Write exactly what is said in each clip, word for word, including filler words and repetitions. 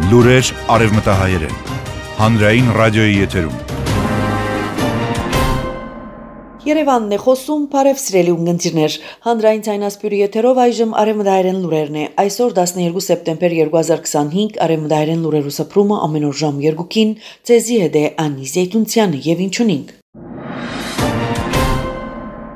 Լուրեր արևմտահայերեն, հանրային ռադիոյի եթերում։ Երևանն է խոսում, բարև սիրելի ունգընտիրներ, հանրային ցայնասպյուրի եթերով այժմ արևմտահայերեն լուրերն է, այսօր տասներկու սեպտեմբեր երկու հազար քսանհինգ արևմտահայերեն լուրերու սփռումը ամեն օր ժամ երկուքին, ցեզի հետ է Անի Զեյթունցյանը եւ ինչ ունենք։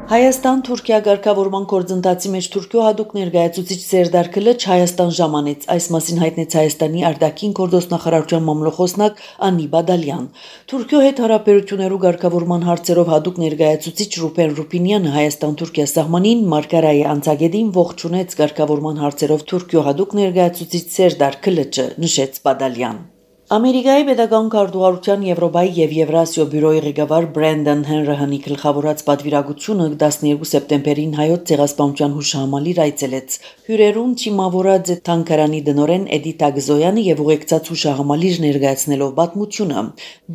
Հայաստան-Թուրքիա ղեկավարման գործընթացի մեջ Թուրքիո հատուկ ներկայացուցիչ Սերդար Քլիչ Հայաստան ժամանեց, այս մասին հայտնեց Հայաստանի արտաքին գործնախարարության մամլոխոսնակ Անի Բադալյան։ Թուրքիո հետ հարաբերություններու ղեկավարման հարցերով հատուկ ներկայացուցիչ Ռուբեն Ռուբինյանը Հայաստան-Թուրքիա սահմանին Մարգարայի անցագետին ողջունեց ղեկավարման հարցերով Թուրքիո հատուկ ներկայացուցիչ Սերդար Քլիչը, նշեց Բադալյան։ Ամերիկայի պետական քարտուղարության Եվրոպայի եւ Եվրասիա բյուրոյի ղեկավար Բրենդոն Հենրիհանի գլխավորած պատվիրակությունը տասներկու սեպտեմբերին հայոց ցեղասպանության հուշահամալիր այցելեց։ Հյուրերուն չիմավորած Թանկարանի դնորեն Էդիթ Ագզոյանը եւ ուղեկցած հուշահամալիր ներկայացնելով պատմությունը։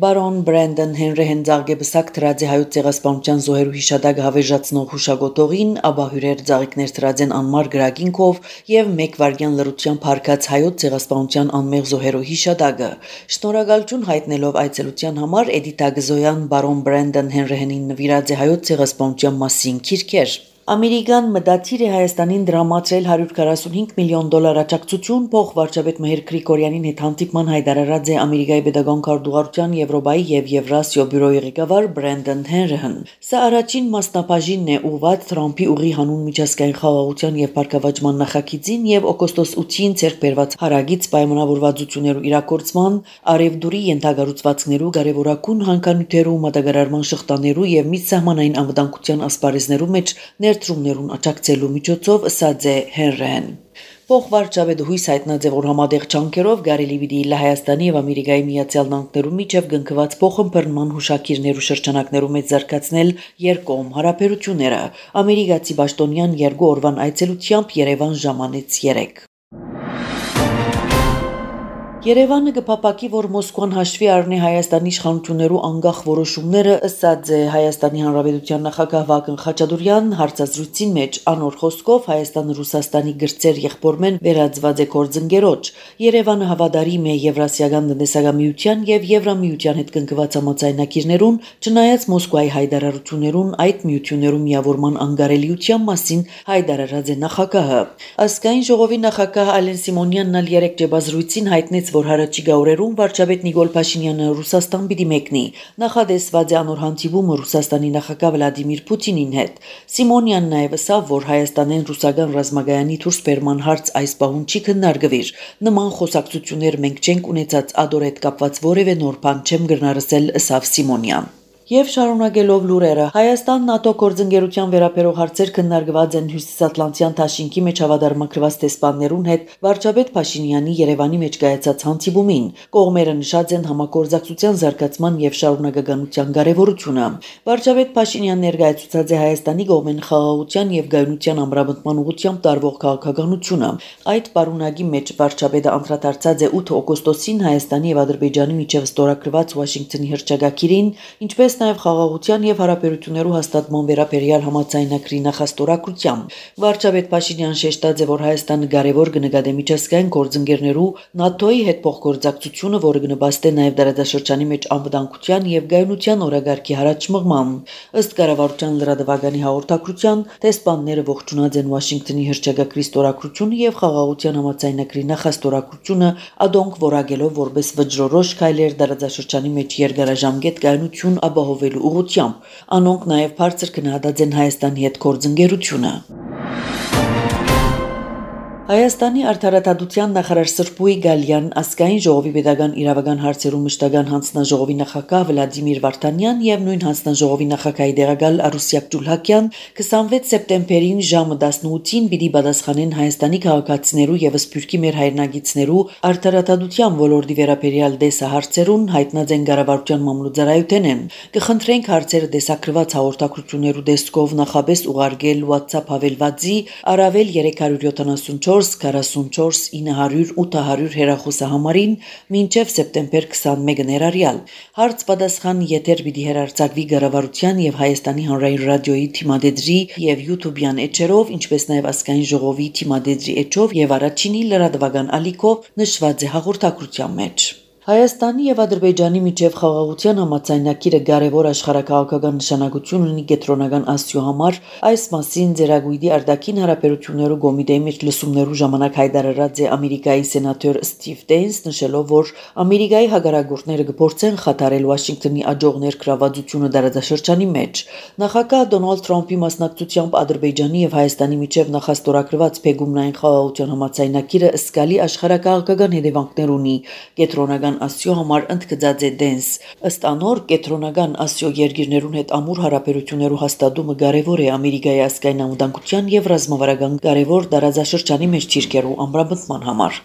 Բարոն Բրենդոն Հենրիհեն ցաղգեբսակ դրած է հայոց ցեղասպանության զոհերու հիշադակ հավերժացնող հուշագոտողին, ապա հյուրեր ցաղիկներ դրած են անմար գրագինքով եւ մեկ վարյան լրությամբ հարկած հայոց ցեղասպանության անմեղ զոհերու հիշադակը։ Շնորհակալություն հայտնելով այցելության համար Էդիթ Ագզոյան բարոն Բրենդոն Հենրիհենին նվիրած է հայոց ցեղասպանության մասին քիրքեր։ Ամերիկան մտադիր է Հայաստանին դրամատրել հարյուր քառասունհինգ միլիոն դոլար աջակցություն փոխ վարչապետ Մհեր Գրիգորյանին հետ հանդիպման հայտարարած է Ամերիկայի պետական քարտուղարության Եվրոպայի եւ Եվրասիա բյուրոյի ղեկավար Բրենդոն Հենրիհեն։ Սա առաջին մասնաբաժինն է ուղղված Թրամփի ուղի հանուն միջազգային խաղաղության եւ բարգավաճման նախագծին եւ օգոստոս ութին ցերկ բերված հարագից պայմանավորվածություններու իրագործման, արևդուրի ենթագառուցվածքներու կարևորագույն հանքանյութերու մատակարարման շղթաներու եւ միջսահմանային անվտանգության ասպարեզներու մեջ ներդրումներուն աջակցելու միջոցով ասաց է Հենրիհեն։ Փոխ վարչապետը հույս հայտնած է, որ համատեղ ջանքերով կարելի պիտի իլ Հայաստանի եւ Ամերիկայի Միացյալ Նահանգներու միջև գնկված փոխըմբռնման հուշակիրներու շրջանակներու մեջ զարգացնել երկկողմ հարաբերությունները։ Ամերիկացի պաշտոնյան երկու օրվան այցելությամբ Երևան ժամանեց երեք։ Երևանը կփապակի, որ Մոսկվան հաշվի առնի Հայաստանի իշխանություններու անկախ որոշումները, ըստ է Հայաստանի Հանրապետության նախագահ Վագն Խաչատուրյան հարցազրույցին մեջ անոր խոսքով Հայաստանը Ռուսաստանի գրծեր եղբորմեն վերածված է գործընկերոջ։ Երևանը հավատարիմ է Եվրասիական տնտեսական միության եւ Եվրամիության հետ կնքված համաձայնագիրներուն, չնայած Մոսկվայի հայտարարություններուն այդ միություններու միավորման անկարելիության մասին հայտարարած է նախագահը։ Ազգային ժողովի նախագահ Ալեն Սիմոնյանն ալ երեք ջբազրույցին հայտնեց, որ հարաճիգա օրերուն վարչապետ Նիկոլ Փաշինյանը Ռուսաստան պիտի մեկնի։ Նախադեсված է անոր հանդիպումը Ռուսաստանի նախագահ Վլադիմիր Պուտինին հետ։ Սիմոնյանն նաև ասավ, որ Հայաստանեն ռուսական ռազմագայանի դուրս բերման հարց այս պահուն չի քննարկվիր։ Նման խոսակցություններ մենք չենք ունեցած, ադոր հետ կապված որևէ նոր բան չեմ գրնարսել, ասավ Սիմոնյան։ Եվ շարունակելով լուրերը, Հայաստան-ՆԱՏՕ գործընկերության վերաբերող հարցեր քննարկված են Հյուսիսատլանտյան դաշինքի մեջ հավատարմագրված տեսփաններուն հետ վարչապետ Փաշինյանի Երևանի մեջ կայացած հանդիպումին։ Կողմերը նշած են համագործակցության զարգացման եւ շարունակականության կարեւորությունը։ Վարչապետ Փաշինյանն ներկայացուցած է Հայաստանի կողմեն խաղաղության եւ գայունության ամրապնդման ուղղությամբ տարվող քաղաքականությունը։ Այդ պարունակի մեջ վարչապետը անդրադարձած է ութ օգոստոսին Հայաստանի եւ Ադրբեջանի միջև ստորագրված Վաշինգտոնի հռչակագիրին, ինչպես նաև խաղաղության եւ հարաբերություններու հաստատման վերաբերյալ համաձայնագրի նախաստորագրությամբ։ Վարչապետ Փաշինյան շեշտած է, որ Հայաստանը կարևոր կնկատի միջազգային գործընկերներու ՆԱՏՕ-ի հետ փոխգործակցությունը, որը կնպաստի նաև դարաշրջանի մեջ անվտանգության եւ գայունության օրագարկի հարաճ մղման։ Ըստ կառավարության լրատվականի հաղորդակցության, տեսփանները ողջունած են Վաշինգտոնի հռչակագրի ստորագրությունը եւ խաղաղության համաձայնագրի նախաստորագրությունը, ադոնք որակելով որպես վճռորոշ քայլեր դարաշրջանի մեջ երկարաժամկետ գայունություն ապահովելու ուղղությամբ։ Անոնք նաև բարձր գնահատած են Հայաստանի հետ գործընկերությունը։ Հայաստանի արդարադատության նախարար Սրբույի Գալյան, ազգային ժողովի պետական իրավական հարցերու մշտական հանձնաժողովի նախագահ Վլադիմիր Վարդանյան եւ նույն հանձնաժողովի նախագահի դեղակալ Արուսյակ Ջուլհակյան հիսունվեց սեպտեմբերին ժամը տասնութին պիտի պատասխանեն Հայաստանի քաղաքացիներու եւ Սփյուռքի մեր հայրենագիտներու արդարադատության ոլորտի վերաբերյալ դեսահարցերուն հայտնած են կառավարության մամլոյցարայութենեն։ Կխնդրենք հարցերը դեսակրված հաղորդակցություններու դեսկով նախապես ուղարկել WhatsApp հավելվածի առավել երեք հարյուր յոթանասունչորս քսանչորս քառասունչորս ինը հարյուր ութ հարյուր հեռախոսահամարին մինչև սեպտեմբեր քսանմեկը ներառյալ հարց պատասխան եթեր պիտի հեռարձակվի Կառավարության եւ Հայաստանի հանրային ռադիոյի թիմադեդրի եւ YouTube-յան էջերով, ինչպես նաեւ ազգային ժողովի թիմադեդրի էջով եւ առաջինի լրատվական ալիքով նշված է հաղորդակցության մեջ։ Հայաստանի եւ Ադրբեջանի միջև խաղաղության համաձայնագիրը կարևոր աշխարհակաղակական նշանակություն ունի կենտրոնական Ասիո համար, այս մասին Ձերագույդի արտաքին հարաբերություններու կոմիտեի մեջ լսումներու ժամանակ հայտարարած է Ամերիկայի սենատոր Ստիվ Դեյնս, նշելով, որ Ամերիկայի հակառակորդները կփորձեն խաթարել Վաշինգտոնի աջող ներգրավվածությունը դարաշրջանի մեջ։ Նախագահ Դոնալդ Թրամփի մասնակցությամբ Ադրբեջանի եւ Հայաստանի միջև նախաստորագրված Փեգումնային խաղաղության համաձայնագիրը սկալի աշխարհակաղակական հետևանքներ ունի կենտրոնական Ասիո համար ընդգծած է Դենս։ Ըստ անոր կենտրոնական Ասիո երկիրներուն հետ ամուր հարաբերություններու հաստատումը կարևոր է Ամերիկայի ազգային անվտանգության եւ ռազմավարական կարևոր տարածաշրջանի մեջ ճիրկերու ամրապնդման համար։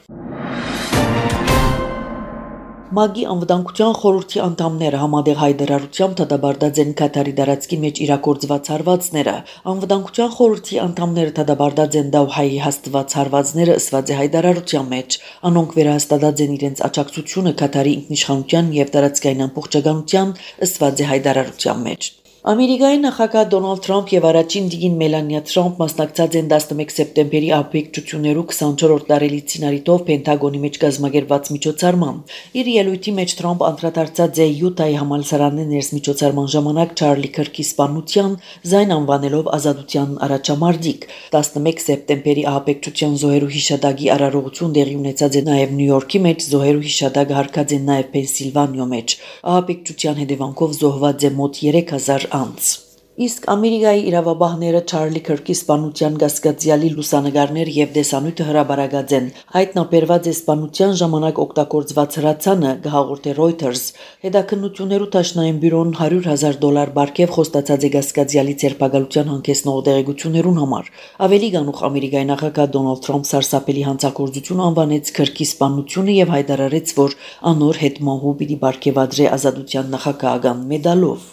ՄԱԿ-ի անվտանգության խորհրդի անդամները համատեղ հայտարարությամբ դատապարտած են Կատարի տարածքի մեջ իրագործված հարվածները։ Անվտանգության խորհրդի անդամները դատապարտած են Դավհայի հաստված հարվածները ըսված է հայտարարության մեջ։ Անոնք վերահաստատած են իրենց աջակցությունը Կատարի ինքնիշխանության եւ տարածքային ամբողջականության ըսված է հայտարարության մեջ։ Ամերիկայի նախագահ Դոնալդ Թրամփ եւ առաջին դիգին Մելանիա Թրամփ մասնակցած են տասնմեկ սեպտեմբերի ահաբեկչություններու քսանչորրորդ տարելիցին արիտով Պենտագոնի մեջ կազմակերպված միջոցառման։ Իր ելույթի մեջ Թրամփ անդրադարձած է Յուտայի համալսարանի ներսմիջոցառման ժամանակ Չարլի Քրքի սպանության զայն անվանելով ազատության առաջամարտիկ։ տասնմեկ սեպտեմբերի ահաբեկչության զոհերու հիշատակի արարողություն տեղի ունեցած է նաեւ Նյու Յորքի մեջ, զոհերու հիշատակը հարկած է նաեւ Պենսիլվանիա մեջ։ Ահաբեկչության հետևանքով զոհված է մոտ երեք հազար անձ։ Իսկ Ամերիկայի իրավաբանները Չարլի Քրքի սպանության կասկածյալի լուսանկարներ եւ տեսանյութը հրաբարացած են։ Հայտնաբերված է սպանության ժամանակ օգտագործված հրացանը, կհաղորդե Reuters։ Հետաքննություններու Դաշնային բյուրոն հարյուր հազար դոլար բարգեւ խոստացած է կասկածյալի ձերբակալության հանգեցնող տեղեկություններուն համար։ Ավելի գանուխ Ամերիկայի նախագահ Դոնալդ Թրամփ սարսափելի հանցագործություն անվանեց Քրքի սպանությունը եւ հայտարարեց, որ անոր հետ մահու պիտի բարգեւադրե ազատության նախագահական մեդալով։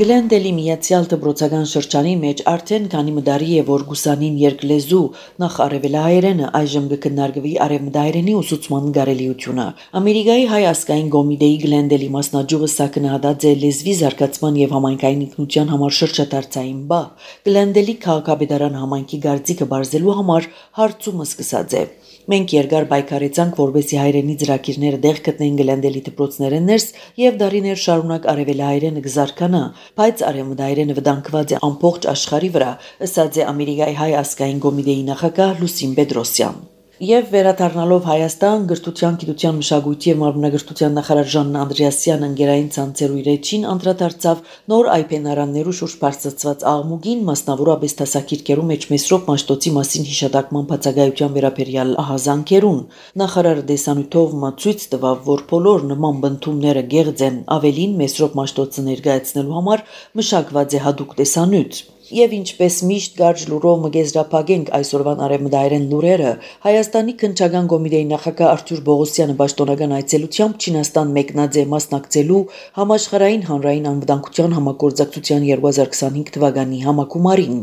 Գլենդելի միացյալ դպրոցական շրջանի մեջ արդեն քանի մդարի է, որ գուսանին երկլեզու նախ արևելահայերենը այժմ կքննարկվի արևմտահայերենի ուսուցման կարելիությունը։ Ամերիկայի հայ ազգային կոմիտեի Գլենդելի մասնաճյուղը սա կնահատած է լեզվի զարգացման եւ համայնքային ինքնության համար շրջադարձային բա։ Գլենդելի քաղաքապետարան համայնքի գարձիկը բարձելու համար հարցումը սկսած է։ Մենք երկար պայքարեցանք, որպեսզի հայրենի ծրագիրները դեղ գտնեն Գլենդելի դպրոցներեն ներս եւ դարիներ շարունակ արևելահայերենը կզարգանա, բայց արևմտահայերենը վտանգված է ամբողջ աշխարհի վրա, ըսած է Ամերիկայի հայ ազգային կոմիտեի նախագահ Լուսին Պետրոսյան։ Եվ վերադառնալով Հայաստան, գրթության, գիտության, մշակույթի եւ մարմնագրթության նախարար Ժանն Անդրեասյանը ընկերային ցանցերու իր էջին անդրադարձավ նոր այփենարաններու շուրջ բարձրացված աղմուկին, մասնավորապես դասակիրքերու մեջ Մեսրոպ Մաշտոցի մասին հիշատակման բացակայության վերաբերյալ ահազանգերուն։ Նախարարը դեսանյութով մացույց տվավ, որ բոլոր նման բնդումները գեղձ են, ավելին Մեսրոպ Մաշտոցը ներկայացնելու համար մշակված է հատուկ դեսանյութ։ Եվ ինչպես միշտ կարճ լուրով մգեզրափակենք այսօրվան արևմտահայերեն լուրերը, Հայաստանի քննչական կոմիտեի նախագահ Արթուր Բողոսյանը պաշտոնական այցելությամբ Չինաստան մեկնած է մասնակցելու համաշխարհային հանրային անվտանգության համագործակցության երկու հազար քսանհինգ թվականի համագումարին։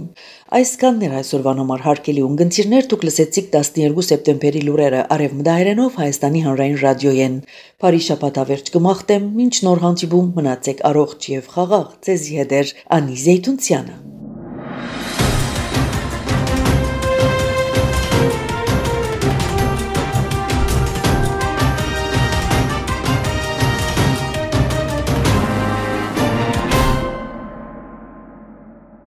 Այսքանն էր այսօրվան համար հարգելի ունգընտիրներ, դուք լսեցիք տասներկու սեպտեմբերի լուրերը արևմտահայերենով Հայաստանի հանրային ռադիոյեն։ Բարի շաբաթավերջ կմաղթեմ, մինչ նոր հանդիպում մնացեք առողջ եւ խաղաղ, ձեզի հետ էր Անի Զեյթունցյանը։